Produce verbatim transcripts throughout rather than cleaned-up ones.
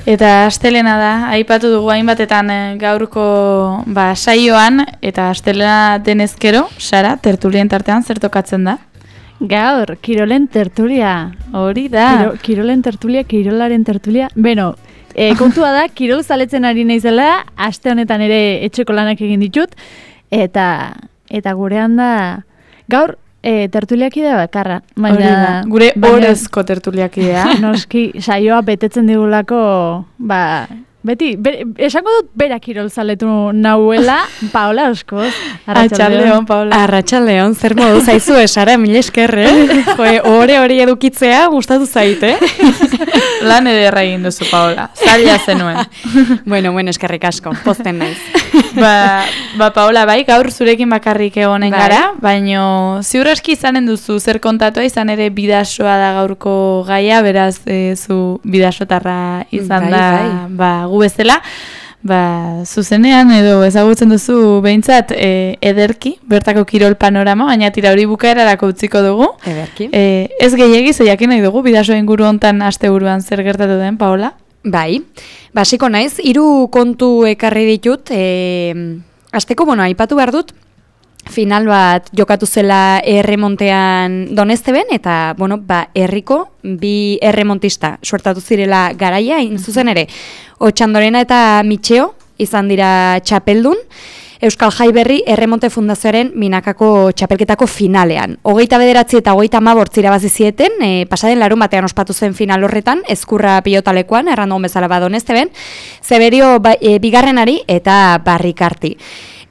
Eta astelena da, aipatu dugu hainbatetan gaurko ba, saioan, eta astelena denezkero, Sara, tertulien tartean zer tokatzen da? Gaur, kirolen tertulia. Hori da. Kiro, kirolen tertulia, kirolaren tertulia. Beno, e, kontua da, kirol zaletzen ari naizela, aste honetan ere etxeko lanak egin ditut, eta, eta gurean da, gaur, E, tertuliakidea bakarra. Baina, gure orezko tertuliakidea. Noski, saioa betetzen digulako, ba, beti, be, esango dut berak kirol zaletu nahuela, Paola Oskoz. Arratxaldeon, Paola. Arratxaldeon, zer modu zaizu esara, mil esker, eh? Joe, ore hori edukitzea gustatu zaite. Lan ederra egin duzu, Paola. Zaila zenuen. Bueno, bueno, eskerrik asko, pozten naiz. ba, ba, Paola, bai, gaur zurekin bakarrik egonen bai. Gara, baino ziur aski izanen duzu zer kontatua, izan ere bidasoa da gaurko gaia, beraz, e, zu bidasotarra izan bai, da, bai. Ba, gu bezala, ba, zuzenean edo ezagutzen duzu behintzat e, ederki, bertako kirol panorama, baina tira hori bukaerarako utziko dugu. Ederki. E, ez gehiegi, zeiakin nahi dugu, bidasoa inguru hontan asteburuan zer gertatu den, Paola? Bai, basiko naiz, hiru kontu ekarri ditut, e, azteko, bueno, aipatu behar dut, final bat jokatu zela erremontean Donesteben, eta, bueno, ba, herriko bi erremontista suertatu zirela garaia, zuzen ere, Otxandorena eta Mitxeo izan dira txapeldun, Euskal Jai Berri Erremonte Fundazioaren Minakako txapelketako finalean. Hogeita bederatzi eta hogeita hamabost irabazi zieten, e, pasaden larun batean ospatu zen final horretan, ezkurra pilotalekoan, errandu bezala ba Donesteben, Zeberio ba, e, bigarrenari eta Barrikarti.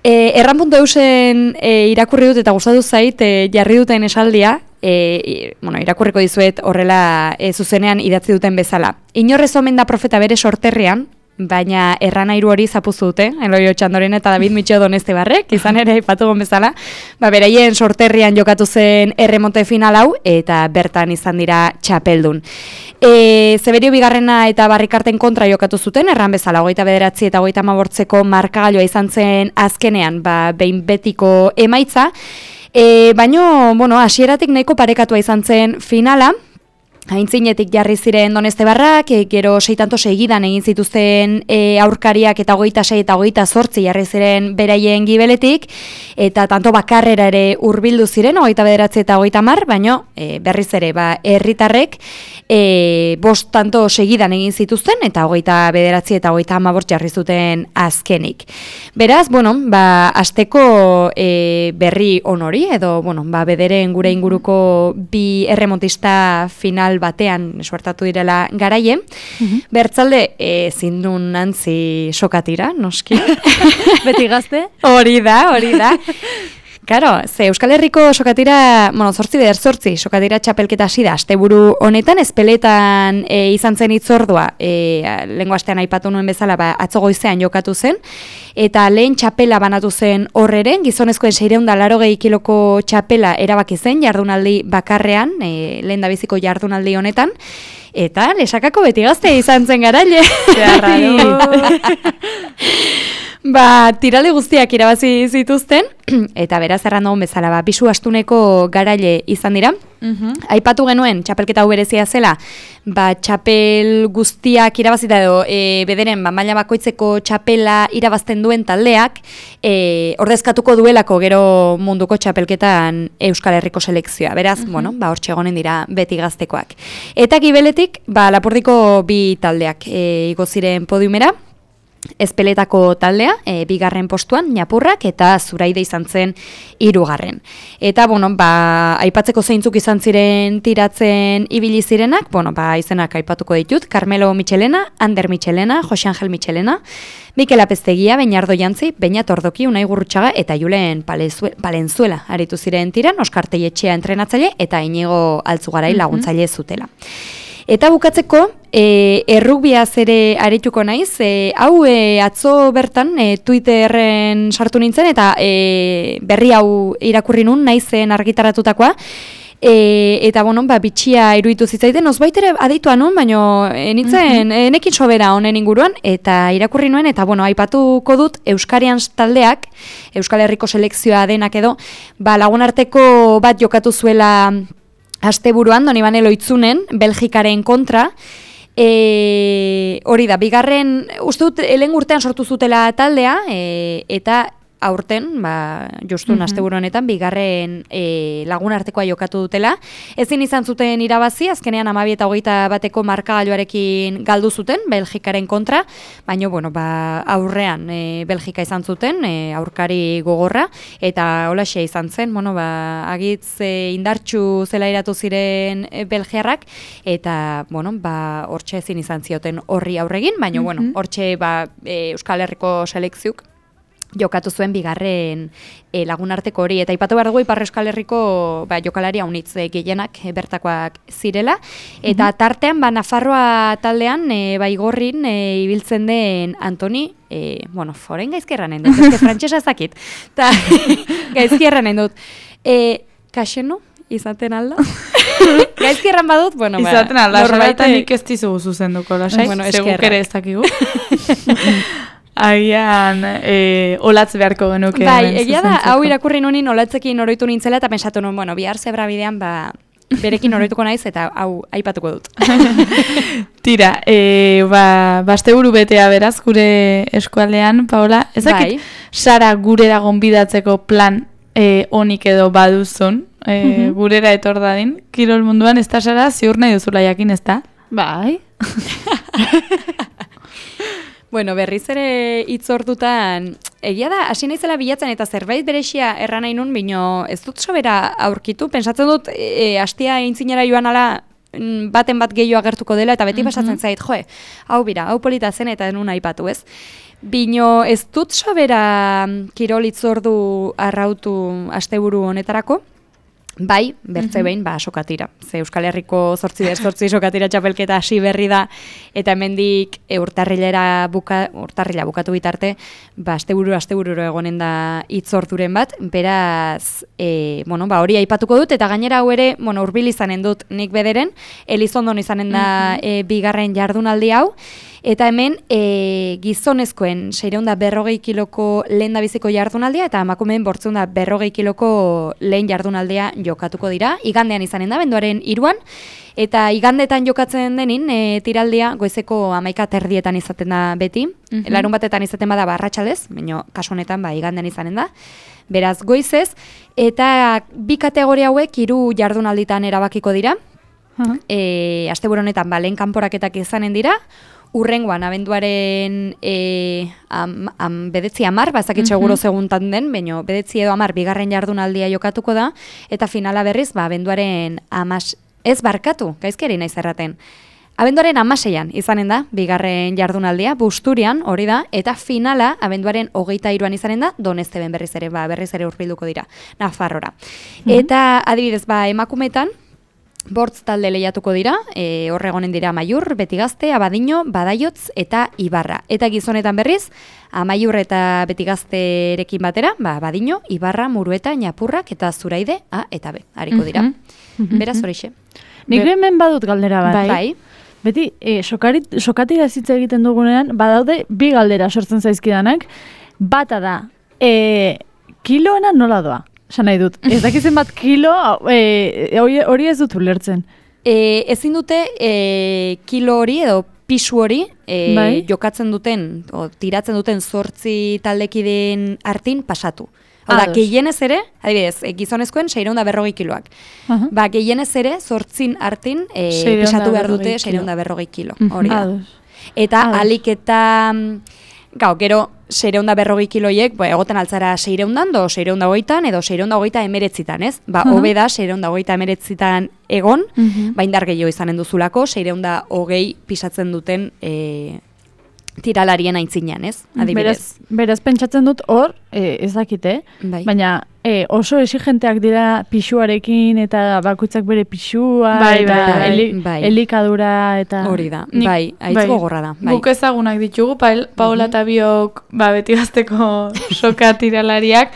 E, erran puntu eusen e, irakurri dut eta gustatu zait e, jarri duten esaldia, e, bueno, irakurriko dizuet horrela e, zuzenean idatzi duten bezala. Inorrez omen da profeta bere sorterrean, baina erranairu hori zapuzu dute, Eloi Otxandoren eta David Mitxeo Donestebarrek, izan ere ipatugon bezala, ba, beraien sorterrian jokatu zen erremonte final hau, eta bertan izan dira txapeldun. E, Zeberio bigarrena eta Barrikarten kontra jokatu zuten, erran bezala, hogeita bederatzi eta hogeita hamabortzeko markagailoa izan zen azkenean, ba, behin betiko emaitza, e, baino, bueno, hasieratik nahiko parekatua izan zen finala, Aintzinetik jarri ziren Donestebarrak, e, gero seitanto segidan egin zituzten e, aurkariak eta hogeita sei eta hogeita zortzi jarri ziren beraien gibeletik, eta tanto bakarrera ere hurbildu ziren, hogeita bederatzi eta hogeita mar, baino e, berriz ere ba, herritarrek e, bost tanto segidan egin zituzten, eta hogeita bederatzi eta hogeita hamabost jarri zuten azkenik. Beraz, bueno, ba, asteko e, berri onori, edo, bueno, ba, bederen gure inguruko bi erremontista final batean suertatu direla garaie. Mm-hmm. Bertzalde, e, zindun nantzi sokatira, noski. Beti gazte? Hori da, hori da. Karo, ze Euskal Herriko sokatira, bueno, zortzi beder zortzi, sokatira txapelketa hasi da, asteburu honetan, ezpeletan e, izan zen itzordua, e, lehengo astean aipatu nuen bezala, ba, atzo goizean jokatu zen, eta lehen txapela banatu zen horreren, gizonezkoen seiehun eta laurogei kiloko txapela erabaki zen, jardunaldi bakarrean, e, lehen dabiziko jardunaldi honetan, eta lesakako beti gazte izan zen garaile. Ba, tirale guztiak irabazi zituzten, eta beraz errandu bezala, ba, bisu astuneko garaile izan dira. Uh-huh. Aipatu genuen, txapelketa hau berezia zela, ba, txapel guztiak irabazita edo, e, bederen, ba, maila bakoitzeko txapela irabazten duen taldeak, e, ordezkatuko duelako gero munduko txapelketan Euskal Herriko selekzioa. Beraz, uh-huh. bueno, ba, hortxe egonen dira beti gaztekoak. Eta gibeletik, ba, Lapurdiko bi taldeak e, igo ziren podiumera, Ezpeletako taldea, e, bigarren postuan, Ñapurrak, eta Zuraide izan zen hirugarren. Eta, bueno, ba, aipatzeko zeintzuk izan ziren tiratzen ibili zirenak, bueno, ba, izenak aipatuko ditut, Carmelo Michelena, Ander Michelena, Jose Angel Michelena, Mikel Apeztegia, Beñardo Jantzi, Beñat Ordoki, Unai Gurrutxaga, eta Julen Palenzuela aritu ziren tiran, Oskar Teietxea entrenatzaile, eta Inigo Altzugarai laguntzaile zutela. Eta bukatzeko, e, errugbiaz ere arituko naiz, e, hau e, atzo bertan e, Twitterren sartu nintzen, eta e, berri hau irakurri nun, naizen argitaratutakoa, e, eta bueno, ba, bitxia iruditu zitzaiten, ozbait ere adeitua nun, baina enitzen, mm-hmm. enekin sobera honen inguruan, eta irakurri nuen, eta bueno, aipatuko dut Euskarian taldeak, Euskal Herriko selekzioa denak edo, ba, lagunarteko bat jokatu zuela asteburuan, Donibane Loitzunen, Belgikaren kontra, E, hori da, bigarren, uste dut, lehen urtean sortu zutela taldea, e, eta aurten, ba, justun Mhm. asteburu honetan, bigarren e, lagun artekoa jokatu dutela. Ezin izan zuten irabazi, azkenean hamabi eta hogeita bateko markagailuarekin galdu zuten, Belgikaren kontra, baina, bueno, ba, aurrean e, Belgika izan zuten, e, aurkari gogorra, eta holaxe izan zen, bueno, ba, agitz e, indartxu zela iratu ziren e, belgiarrak, eta, bueno, ba, hortxe ezin izan zioten horri aurregin, baina, Mhm. bueno, hortxe, ba, e, Euskal Herriko selekziuk, jokatu zuen bigarren e, lagunarteko hori. Eta ipatu behar dugu Ipar Euskal Herriko ba, jokalari haunitz e, gehienak e, bertakoak zirela. Eta tartean, ba, Nafarroa taldean, e, ba, Igorrin e, ibiltzen den Antoni, e, bueno, foren gaizkierra nahi dut, ezke frantsesa ezakit. Ta gaizkierra nahi dut. E, Kaxeno, izaten alda? Gaizkierran badut, bueno, ba, Izaten alda, norbaitek- norbaitek nik ez dizugu zuzenduko, lasai, Bueno, seguk eskerrak. ere ez dakigu. Agian, e, olatz beharko genuke. Bai, hemen egia da, zuzentzeko. hau irakurri nunin olatzekin oroitu nintzela, eta pensatu nuen, bueno, bihar zebra bidean, ba, berekin oroituko naiz, eta hau aipatuko dut. Tira, e, ba, basteburu betea beraz, gure eskualdean, Paola, ezakit, Bai. Sara gurera gonbidatzeko plan e, onik edo baduzun, e, gurera etor dadin, kirol munduan, ez da Sara, ziur nahi duzula jakin, ez da? Bai. Bueno, berriz ere hitz hortutan, egia da, hasi naizela bilatzen eta zerbait berexia erran nahi nun, bino ez dut sobera aurkitu, pensatzen dut, e, hastia aintzinera joan ala, mm, baten bat gehiago agertuko dela, eta beti pasatzen zait, joe, hau bira, hau polita zen eta nun aipatu, ez? Bino ez dut sobera mm, kirol hitzordu arrautu asteburu honetarako, bai, bertze behin, ba, sokatira. Ze Euskal Herriko zortzi ber zortzi sokatira txapelketa hasi berri da, eta hemendik e, urtarrilera buka, urtarrila bukatu bitarte, ba, asteburu astebururo egonen da hitzorduren bat, beraz, e, bueno, ba, hori aipatuko dut, eta gainera hau ere, bueno, hurbil izanen dut nik bederen, Elizondon izanen da e, bigarren jardunaldi hau, eta hemen e, gizonezkoen seiehun eta berrogei kiloko lehen biziko jardunaldia eta emakumeen bortziehun eta berrogei kiloko lehen jardunaldia jokatuko dira. Igandean izanen da, benduaren hiruan, eta igandetan jokatzen denin e, tiraldia goizeko hamaika terdietan izaten da beti. Mhm. Larun batetan izaten bada barratxaldez, baina kasu honetan ba, igandean izanen da. Beraz goizez, eta bi kategoria hauek hiru jardunalditan erabakiko dira. E, asteburu honetan ba, lehen kanporaketak izanen dira, urrengoan abenduaren e, am, am, bedetzi amar, bazakit seguro seguntan den, baina bedetzi edo amar bigarren jardunaldia jokatuko da, eta finala berriz, ba, abenduaren amas, ez barkatu, gaizkeri naiz erraten. Abenduaren amaseian izanen da, bigarren jardunaldia, Busturian, hori da, eta finala abenduaren hogeita hiruan izanen da, Donesteben berriz ere, ba, berriz ere hurbilduko dira, Nafarrora. Eta adibidez, ba, emakumetan, bortz talde lehiatuko dira, e, horre egonen dira Amaiur, Betigazte, Abadiño, Badaiotz eta Ibarra. Eta gizonetan berriz, Amaiur eta Betigazterekin batera, ba, Abadiño, Ibarra, Murueta, Ñapurrak eta Zuraide, A eta B, hariko dira. Beraz horixe. Nik hemen badut galdera bat. Bai. Bai. Beti, e, sokarit, sokatira zitza egiten dugunean, badaude bi galdera sortzen zaizkidanak. Bata da, e, kiloena nola doa? Esan nahi dut. Ez dakizen bat kilo, e, hori, hori ez dut ulertzen. E, ezin dute e, kilo hori edo pisu hori e, Bai. jokatzen duten, o, tiratzen duten zortzi taldekideen artin pasatu. Hau da, Ados. gehienez ere, adibidez, e, gizonezkoen seiehun eta berrogei kiloak. Aha. Ba, gehienez ere, zortzin artin e, Seiehun eta pisatu behar berrogei dute kilo. seiehun eta berrogei kilo. Mhm. Hori da. Ados. Eta Ados. alik eta, mm, gau, gero, seiehun eta berrogei kiloiek, ba, egoten altzara seiehundan, do seiehun eta hogeitan, edo seiehun eta hogeita emeretzitan, ez? Ba, Aha. hobe da, seiehun eta hogeita emeretzitan egon, Mhm. ba, indar gehiago izanen duzulako, seiehun eta hogei pisatzen duten e, tiralarien aintzinean, ez? Adibidez. Beraz, beraz pentsatzen dut hor, e, ez dakite, Bai. baina e, oso exigenteak dira pixuarekin eta bakoitzak bere pixua, Bai, eta bai, eli- bai. elikadura, eta... Hori da, Nik- bai, aitz bai. gogorra da. Bai. Guk ezagunak ditugu, Pael- Paola eta biok ba, beti gazteko soka tiralariak,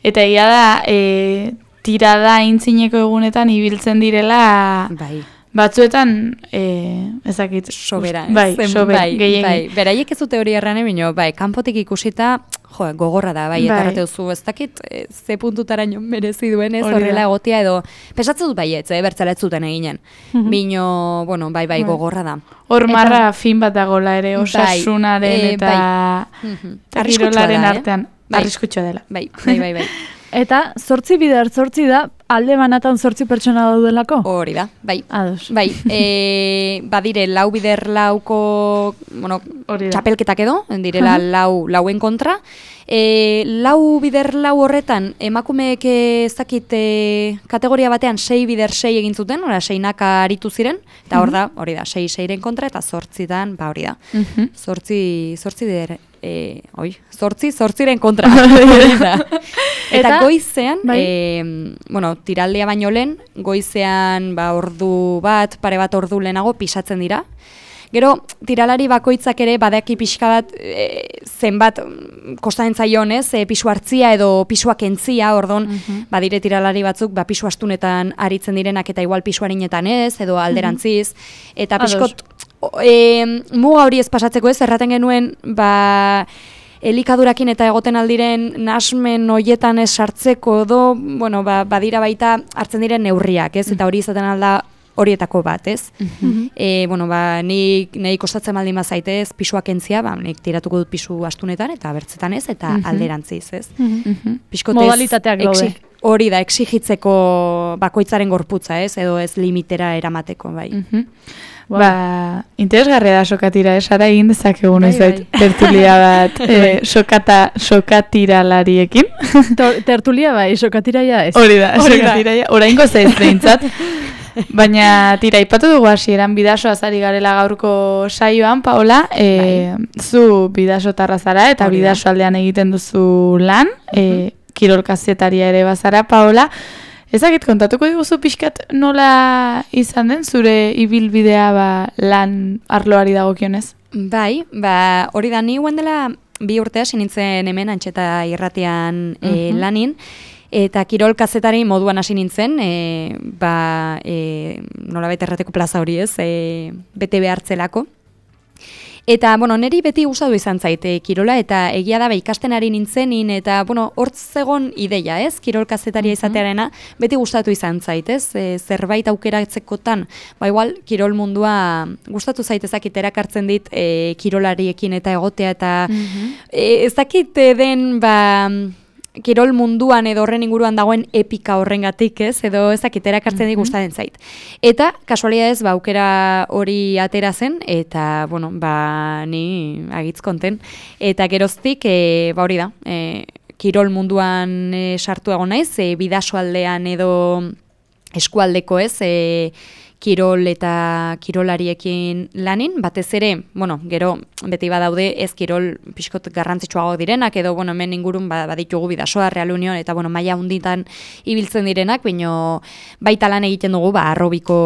eta egia da, e, tirada aintzineko egunetan ibiltzen direla, Bai. batzuetan, e, ezakit, Sobera, ez? bai, Zen- sober, bai, gehiegi. bai. Beraiek ez dute hori errane, bino, bai, kanpotik ikusita, jo, gogorra da, bai, eta Bai. errate duzu, ez dakit, e, ze puntutaraino merezi duen ez, Hori da. horrela egotia edo, pesatzen dut baietz, eh, bertzela ez zuten eginen. Mhm. Bino, bueno, bai, bai, Bai. gogorra da. Hor marra fin bat dagola ere, osasunaren eh, eta Mhm. eta Arriskutsua kirolaren da, eh? artean. Bai. Arriskutsua dela. Bai, bai, bai, bai. Eta zortzi bider zortzi da, alde banatan zortzi pertsona daudelako? Hori da, bai. Ados. Bai, e, badire lau bider lauko, bueno, Hori da. txapelketak edo, direla lau, lauen kontra. E, lau bider lau horretan, emakumeek ez dakit e, kategoria batean sei bider sei egin zuten, ora seinaka aritu ziren, eta hor da, hori da, sei seiren kontra, eta zortzitan, ba hori da. Mhm. Zortzi, zortzi bider, e, oi, zortzi, zortziren kontra. Hori da. Eta Eta- goizean, bai. e, bueno, tiraldea baino lehen, goizean ba, ordu bat, pare bat ordu lehenago pisatzen dira. Gero, tiralari bakoitzak ere badaki pixka bat e, zenbat mm, kostatzen zaion, ez? E, pisu hartzia edo pisua kentzia, ordon, badire tiralari batzuk, ba, pisu astunetan aritzen direnak eta igual pisu harinetan ez, edo alderantziz. Eta Ados. pixkot, o, e, muga hori ez pasatzeko ez, erraten genuen, ba, elikadurakin eta egoten aldiren nasmen hoietan ez sartzeko edo, bueno, ba, badira baita hartzen diren neurriak, ez? Eta hori izaten alda horietako bat, ez? E, bueno, ba, nik nahi kostatzen baldin bazaitez, pisua kentzia, ba, nik tiratuko dut pisu astunetan eta bertzetan ez, eta alderantziz, ez? Mhm. Pixkotez, Modalitateak daude. exi- Hori da, exigitzeko bakoitzaren gorputza, ez? Edo ez limitera eramateko, bai. Mhm. Ba, interesgarria da sokatira, esara egin dezakegun Bai, ez zait, tertulia bat e, sokata, sokatiralariekin. Tor- Tertulia bai, sokatiraia ez. Hori da, Hori da. sokatiraia, oraingo zaiz behintzat. Baina tira, ipatu dugu hasieran bidasoaz ari garela gaurko saioan, Paola, e, zu bidasotarra zara eta Hori da. bidaso aldean egiten duzu lan, e, kirol kazetaria ere bazara, Paola. Ezakit kontatuko diguzu pixkat nola izan den zure ibilbidea ba, lan arloari dagokionez? Bai, ba, hori da, ni guen dela bi urte hasi nintzen hemen Antxeta irratian e, lanin, eta kirol kazetari moduan hasi nintzen, e, ba, e, nolabait errateko plaza hori ez, e, bete behartzelako. Eta, bueno, niri beti gustatu izan zaite kirola, eta egia da, ba, ikasten ari nintzenin, eta, bueno, hortz zegon ideia, ez? Kirol kazetaria izatearena, beti gustatu izan zait, ez? E, zerbait aukeratzekotan, ba, igual, kirol mundua gustatu zaitezakit erakartzen dit e, kirolariekin eta egotea, eta e, ez dakit e, den, ba, kirol munduan edo horren inguruan dagoen epika horrengatik, ez? Edo ez dakit erakartzen dit gustatzen zait. Eta, kasualidadez, ba, aukera hori atera zen, eta, bueno, ba, ni agitz konten. Eta geroztik, e, ba, hori da, e, kirol munduan e, sartu egon naiz, e, bidasoaldean edo eskualdeko, ez? E, kirol eta kirolariekin lanin, batez ere, bueno, gero beti badaude ez kirol pixkot garrantzitsuago direnak, edo, bueno, hemen ingurun ba, baditugu bidasoa, Real Union, eta, bueno, maila hunditan ibiltzen direnak, baino baita lan egiten dugu, ba, arrobiko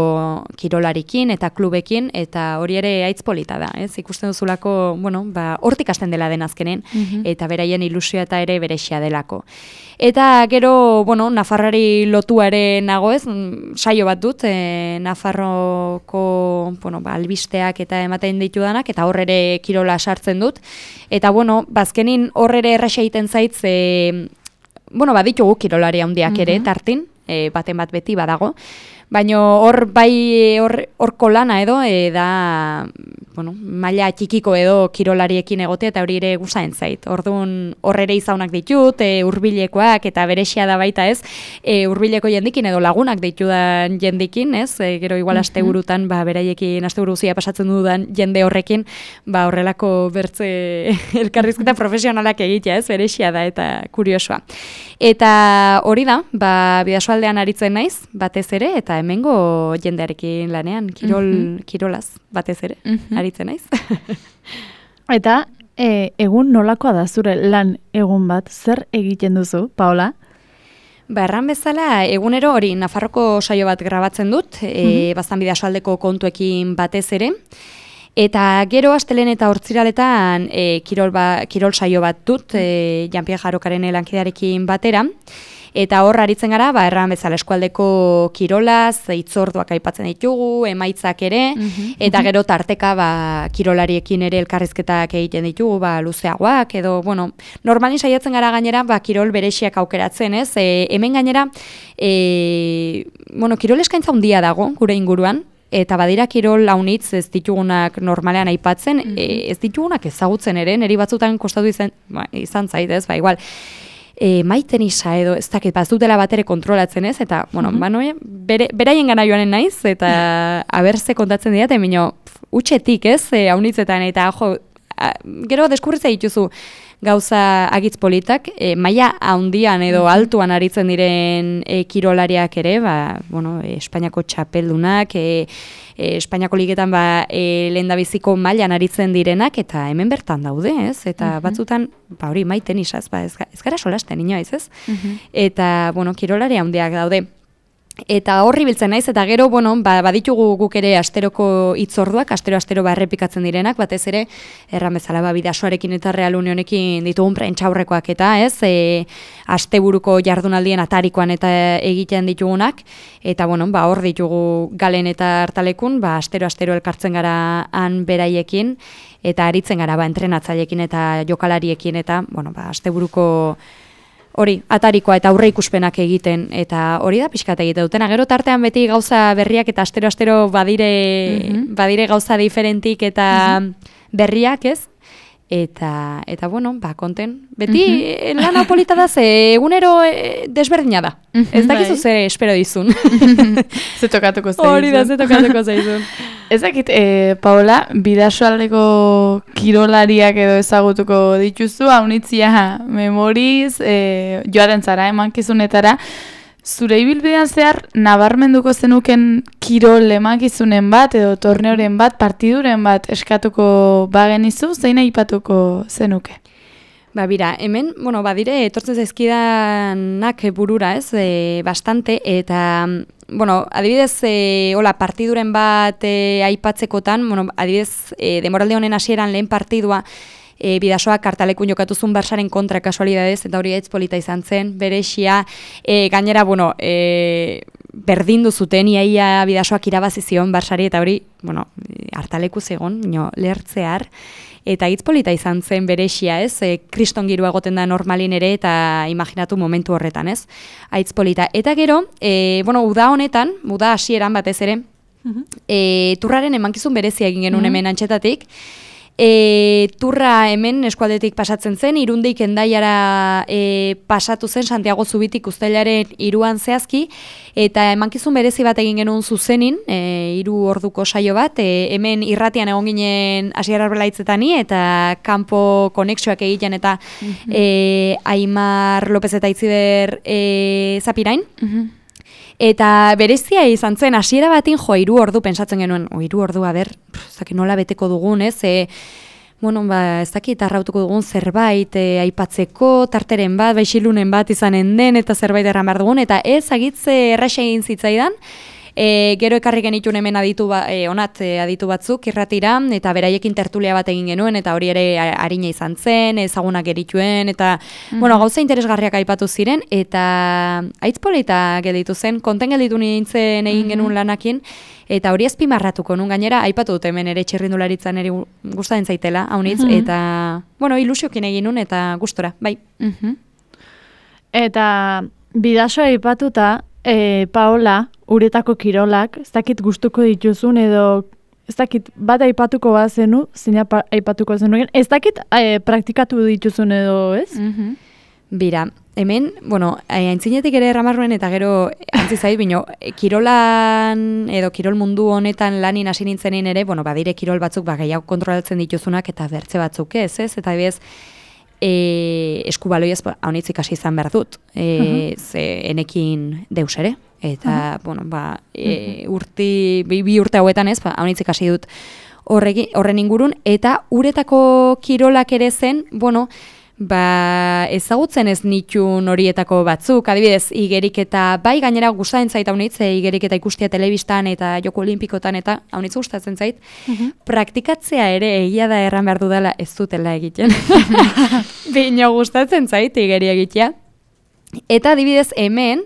kirolarikin eta klubekin, eta hori ere aitz polita da, ez? Ikusten duzulako, bueno, ba, hortik hasten dela den azkenen, eta beraien ilusioa eta ere berexia delako. Eta gero, bueno, Nafarrari lotua ere nago ez, saio bat dut, e, Nafarroko, bueno, ba, albisteak eta ematen ditudanak, eta hor ere kirola sartzen dut. Eta, bueno, bazkenin hor ere erraxa egiten zaitz, e, bueno, baditugu kirolari handiak ere, tartin, e, baten bat beti badago. Baina hor bai hor horko lana edo e, da, bueno, maila txikiko edo kirolariekin egotea, eta hori ere gustatzen zait. Orduan hor ere izaunak ditut, e, hurbilekoak eta berexia da baita, ez? E, hurbileko jendikin edo lagunak ditudan jendikin, ez? E, gero igual asteburutan ba beraiekin asteburu guztia pasatzen dudan jende horrekin, ba horrelako bertze elkarrizketa profesionalak egitea, ez? Berexia da eta kuriosoa. Eta hori da, ba bidasoaldean aritzen naiz, batez ere, eta hemengo jendearekin lanean, kirol, kirolaz, batez ere, aritzen naiz. Eta e, egun nolakoa da zure lan egun bat, zer egiten duzu, Paola? Ba, erran bezala, egunero hori Nafarroko saio bat grabatzen dut, e, baztan bidasoaldeko kontuekin batez ere, eta gero astelen eta hortziraletan e, kirol, ba, kirol saio bat dut, e, Jean-Pierre Jarokaren lankidearekin batera, Eta hor aritzen gara, ba, erran bezala eskualdeko kirolaz, hitzorduak aipatzen ditugu, emaitzak ere, mm-hmm. eta gero tarteka ba, kirolariekin ere elkarrizketak egiten ditugu, ba, luzeagoak, edo, bueno, normalin saiatzen gara gainera, ba, kirol berexiak aukeratzen, ez? E, hemen gainera, e, bueno, kirol eskaintza handia dago, gure inguruan, eta badira kirol launitz ez ditugunak normalean aipatzen, mm-hmm. e, ez ditugunak ezagutzen ere, niri batzutan kostatu izan, ba, izan zait, ez, ba, igual, e, maiten isa edo, ez dakit, ba, ez dutela batere kontrolatzen ez, eta, bueno, mm-hmm. ba, no, bere, beraien gana joanen naiz, eta aberze kontatzen dira, eta minio, utxetik, ez, e, haunitzetan, eta, jo, a, gero deskurritza dituzu, gauza agitz politak, e, maila handian edo altuan aritzen diren e, kirolariak ere, ba, bueno, e, Espainiako txapeldunak, e, e, Espainiako ligetan ba, e, lehendabiziko mailan aritzen direnak, eta hemen bertan daude, ez? Eta uh-huh. batzutan, ba hori maiten isaz, ba, ez, ez gara solasten inoiz, ez? Uh-huh. Eta, bueno, kirolari handiak daude. Eta horri biltzen naiz, eta gero, bueno, ba, baditugu guk ere asteroko hitzorduak, astero-astero ba errepikatzen direnak, batez ere, erran bezala, ba, Bidasoarekin eta Real Unionekin ditugun prentxaurrekoak eta, ez, e, asteburuko jardunaldien atarikoan eta egiten ditugunak, eta, bueno, ba, hor ditugu Galen eta Artalekun, ba, astero-astero elkartzen gara han beraiekin, eta aritzen gara, ba, entrenatzailekin eta jokalariekin, eta, bueno, ba, asteburuko hori, atarikoa eta aurre ikuspenak egiten, eta hori da pixkat egiten dutena. Gero tartean beti gauza berriak eta astero-astero badire, mm-hmm. badire gauza diferentik eta mm-hmm. berriak, ez? Eta, eta bueno, ba, konten. Beti mm-hmm. lan hau polita da, ze egunero e, desberdina da. Mm-hmm. Ez dakizu ze espero dizun. Ze tokatuko zaizun. Hori da, ze tokatuko zaizun. Ez dakit, e, Paola, Bidasoaldeko kirolariak edo ezagutuko dituzu, haunitzia memoriz, e, joaten zara, emankizunetara, zure ibilbidean zehar nabarmenduko zenuken kirol emakizunen bat edo torneoren bat, partiduren bat eskatuko bagenizu, zein aipatuko zenuke? Ba, bira, hemen, bueno, badire, etortzen zaizkidanak burura, ez, e, bastante, eta, bueno, adibidez, e, hola, partiduren bat e, aipatzekotan, bueno, adibidez, e, demoralde honen hasieran lehen partidua, E, Bidasoak Artalekun jokatuzun Barsaren kontra kasualidadez, eta hori hitz polita izan zen, berexia, e, gainera, bueno, e, berdindu zuten, iaia Bidasoak irabazi zion Barsari, eta hori, bueno, Artaleku zegon, no, lehertzear, eta hitz polita izan zen berexia, ez, e, kriston girua egoten da normalin ere, eta imaginatu momentu horretan, ez, hitz polita. Eta gero, e, bueno, uda honetan, uda hasieran batez ere, uh-huh. e, turraren emankizun berezia egin genuen uh-huh. hemen antxetatik, E, turra hemen eskualdetik pasatzen zen, Irundik Hendaiara e, pasatu zen Santiago Zubitik uztailaren iruan zehazki, eta emankizun berezi bat egin genuen zuzenin, e, hiru orduko saio bat, e, hemen irratian egon ginen Asier Arbelaitzetani, eta kanpo konexioak egiten, eta mm-hmm. e, Aimar López eta Itziber e, Zapirain, mm-hmm. Eta berezia izan zen, hasiera batin jo, hiru ordu pensatzen genuen, o, hiru ordu, a ber, zaki nola beteko dugun, ez, e, bueno, ba, ez dakit arrautuko dugun zerbait, e, aipatzeko, tarteren bat, baixilunen bat izanen den, eta zerbait erran behar dugun, eta ez agitze erraxe egin zitzaidan, E, gero ekarri genitun hemen aditu ba, e, onat e, aditu batzuk irratira, eta beraiekin tertulia bat egin genuen, eta hori ere arina izan zen, ezagunak gerituen, eta mm-hmm. bueno, gauza interesgarriak aipatu ziren, eta aitz polita gelditu zen, konten gelditu nintzen egin genuen mm-hmm. lanakin, eta hori azpimarratuko nun gainera, aipatu dut hemen ere txirrindularitzan ere gustatzen zaitela, haunitz, mm-hmm. eta, bueno, ilusiokin egin nun, eta gustora, bai. Mm-hmm. Eta Bidasoa aipatuta, E, Paola, uretako kirolak, ez dakit gustuko dituzun edo ez dakit bat aipatuko bat zenu, zina aipatuko zenu, ez dakit e, praktikatu dituzun edo, ez? Mm-hmm. Bira, hemen, bueno, aintzinetik ere erramarruen eta gero antzizait, bino, kirolan edo kirol mundu honetan lanin hasi nintzenin ere, bueno, badire kirol batzuk ba, gehiago kontrolatzen dituzunak eta bertze batzuk ez, ez? Eta bez, E, eskubaloiaz haunitzik hasi izan behar dut, e, uh-huh. ze enekin deus ere, eta, uh-huh. bueno, ba, e, urti, bi, bi urte hauetan ez, ba, haunitzik hasi dut horregi, horren ingurun, eta uretako kirolak ere zen, bueno, ba, ezagutzen ez nitun horietako batzuk, adibidez, igerik eta bai gainera gustatzen zait haunitz, igerik eta ikustia telebistan eta joko olimpikotan eta haunitz gustatzen zait, uh-huh. praktikatzea ere egia da erran behar dudala ez dutela egiten. Bino gustatzen zait igeri egitea. Eta adibidez hemen,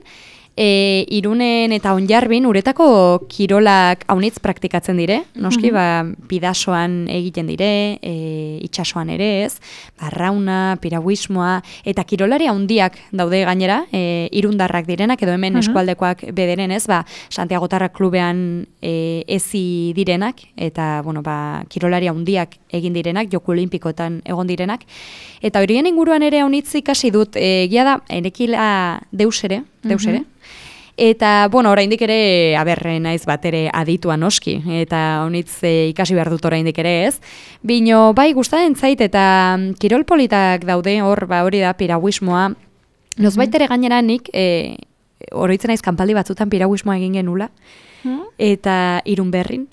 E, Irunen eta Onjarbin uretako kirolak haunitz praktikatzen dire, noski, mm-hmm. ba, bidasoan egiten dire, e, itsasoan ere ez, barrauna, piraguismoa, eta kirolari handiak daude gainera, e, irundarrak direnak, edo hemen mm-hmm. eskualdekoak bederen ez, ba, Santiagotarra klubean e, ezi direnak, eta, bueno, ba, kirolari handiak egin direnak, Joko Olimpikoetan egon direnak, eta horien inguruan ere haunitz ikasi dut, egia da, enekila deus ere, deus ere, mm-hmm. Eta, bueno, oraindik ere, aberre naiz bat ere aditua noski, eta honitz e, ikasi behar dut oraindik ere ez. Bino, bai, gustatzen zait, eta kirol politak daude, hor, ba, hori da, piraguismoa. Nozbait ere gainera nik, e, oroitzen naiz kanpaldi batzutan piraguismoa egin genula, eta Irun berrin,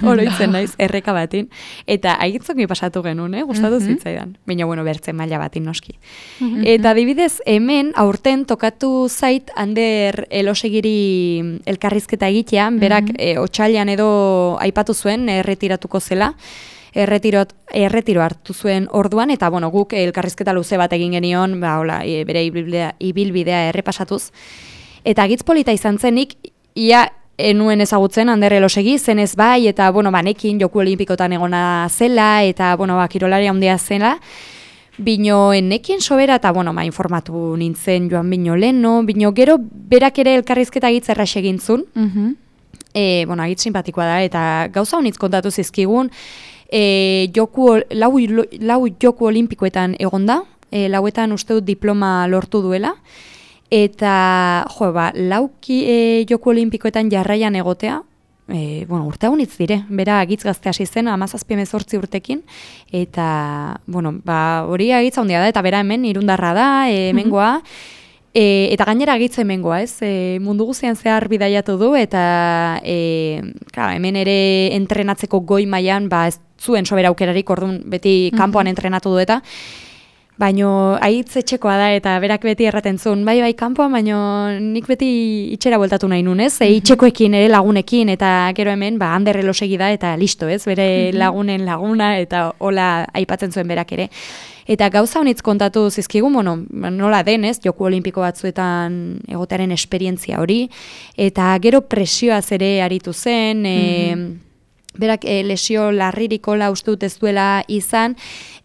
oroitzen naiz, erreka batin, eta agitzongi pasatu genuen, eh? Gustatu mm-hmm. zitzaidan, baina bueno, bertzen maila batin noski. Mm-hmm. Eta adibidez, hemen aurten tokatu zait Ander Elosegiri elkarrizketa egitean, berak mm-hmm. e, otsailean edo aipatu zuen, erretiratuko zela, erretiro, erretiro hartu zuen orduan, eta bueno, guk elkarrizketa luze bat egin genion, ba, hola, e, bere ibilbidea, ibilbidea errepasatuz, eta agitz polita izan zenik, ia enuen ezagutzen Ander Elosegi, zenez bai, eta, bueno, banekin Joku Olimpikotan egona zela, eta, bueno, ba, kirolari handia zela, bino enekin sobera, eta, bueno, ba, informatu nintzen joan bino leno, bino gero berak ere elkarrizketa agitz errax egintzun, mm-hmm. e, bueno, agitz simpatikoa da, eta gauza honitz kontatu zizkigun, e, joku, lau, lau Joku Olimpikoetan egonda, e, lauetan uste dut diploma lortu duela, eta, jo, ba, lauki e, Joku Olimpikoetan jarraian egotea, e, bueno, urte haunitz dire, bera agitz gazte hasi zen, amazazpi hemezortzi urtekin, eta, bueno, ba, hori agitz handia da, eta bera hemen irundarra da, e, hemengoa, e, eta gainera agitz hemengoa, ez, e, mundu guztian zehar bidaiatu du, eta, e, klar, hemen ere entrenatzeko goi mailan, ba, ez zuen sobera aukerarik, orduan beti kanpoan entrenatu du eta, baino haitz etxekoa da, eta berak beti erraten zuen, bai, bai, kanpoan, baino nik beti itxera bueltatu nahi nun, ez? E, itxekoekin ere lagunekin, eta gero hemen, ba, Ander Elosegi da, eta listo, ez? Bere lagunen laguna, eta hola aipatzen zuen berak ere. Eta gauza honitz kontatu zizkigun, bueno, nola denez, Joku Olimpiko batzuetan egotearen esperientzia hori, eta gero presioaz ere aritu zen, mm-hmm. e, berak e, lesio larririkola uste dut ez duela izan,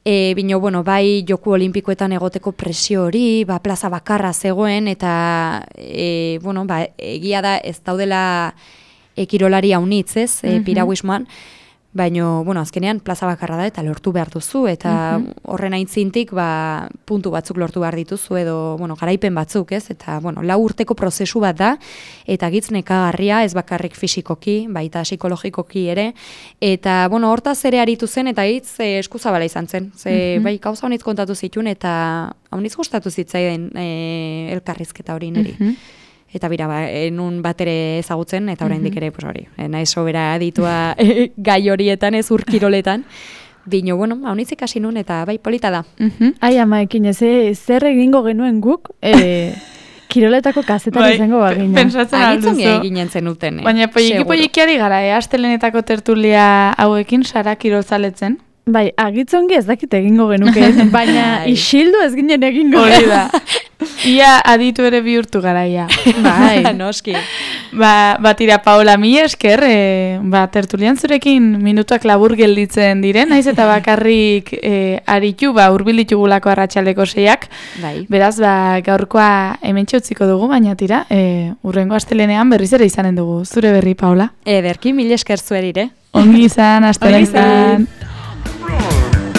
E, bino, bueno, bai Joku Olimpikoetan egoteko presio hori, ba, plaza bakarra zegoen, eta e, bueno, ba, egia da ez daudela e, kirolari haunitz, ez, e, mm-hmm. piraguismoan, baino, bueno, azkenean plaza bakarra da eta lortu behar duzu, eta mm-hmm. horren aintzintik, ba, puntu batzuk lortu behar dituzu, edo, bueno, garaipen batzuk, ez, eta, bueno, lau urteko prozesu bat da, eta gitz nekagarria, ez bakarrik fisikoki, baita psikologikoki ere, eta, bueno, hortaz ere aritu zen, eta hitz e, eskuzabala izan zen, ze, mm-hmm. bai, gauza honitz kontatu zituen, eta honitz gustatu zitzaiden e, elkarrizketa hori niri. Mm-hmm. Eta bira, ba, enun bat ere ezagutzen, eta oraindik ere, pues hori, nahi sobera ditua gai horietan, ez urkiroletan. Bino, bueno, haunitzik hasi nun, eta bai, polita da. Uh-huh. Ai, ama, ekin, ez, zer egingo genuen guk, e, kiroletako kazetan izango bagina. Pensatzen alduzu. Agitzongi eginen zenuten, eh? Baina, poiki-poikiari gara, eh? Astelenetako tertulia hauekin, Sara kirolzaletzen. Bai, agitzongi ez dakit egingo genuke, baina isildu ez ginen egingo. Hori da. Ia aditu ere bihurtu garaia. Bai, noski. Ba, batira, Paola, mi esker, e, ba, tertulian zurekin minutuak labur gelditzen diren, naiz eta bakarrik e, aritu, ba, urbil ditugulako arratsaldeko seiak. Bai. Beraz, ba, gaurkoa hemen txutziko dugu, baina tira, e, urrengo astelenean berriz ere izanen dugu. Zure berri, Paola? Ederki, mil esker zuerire. Ongi izan, astelenean.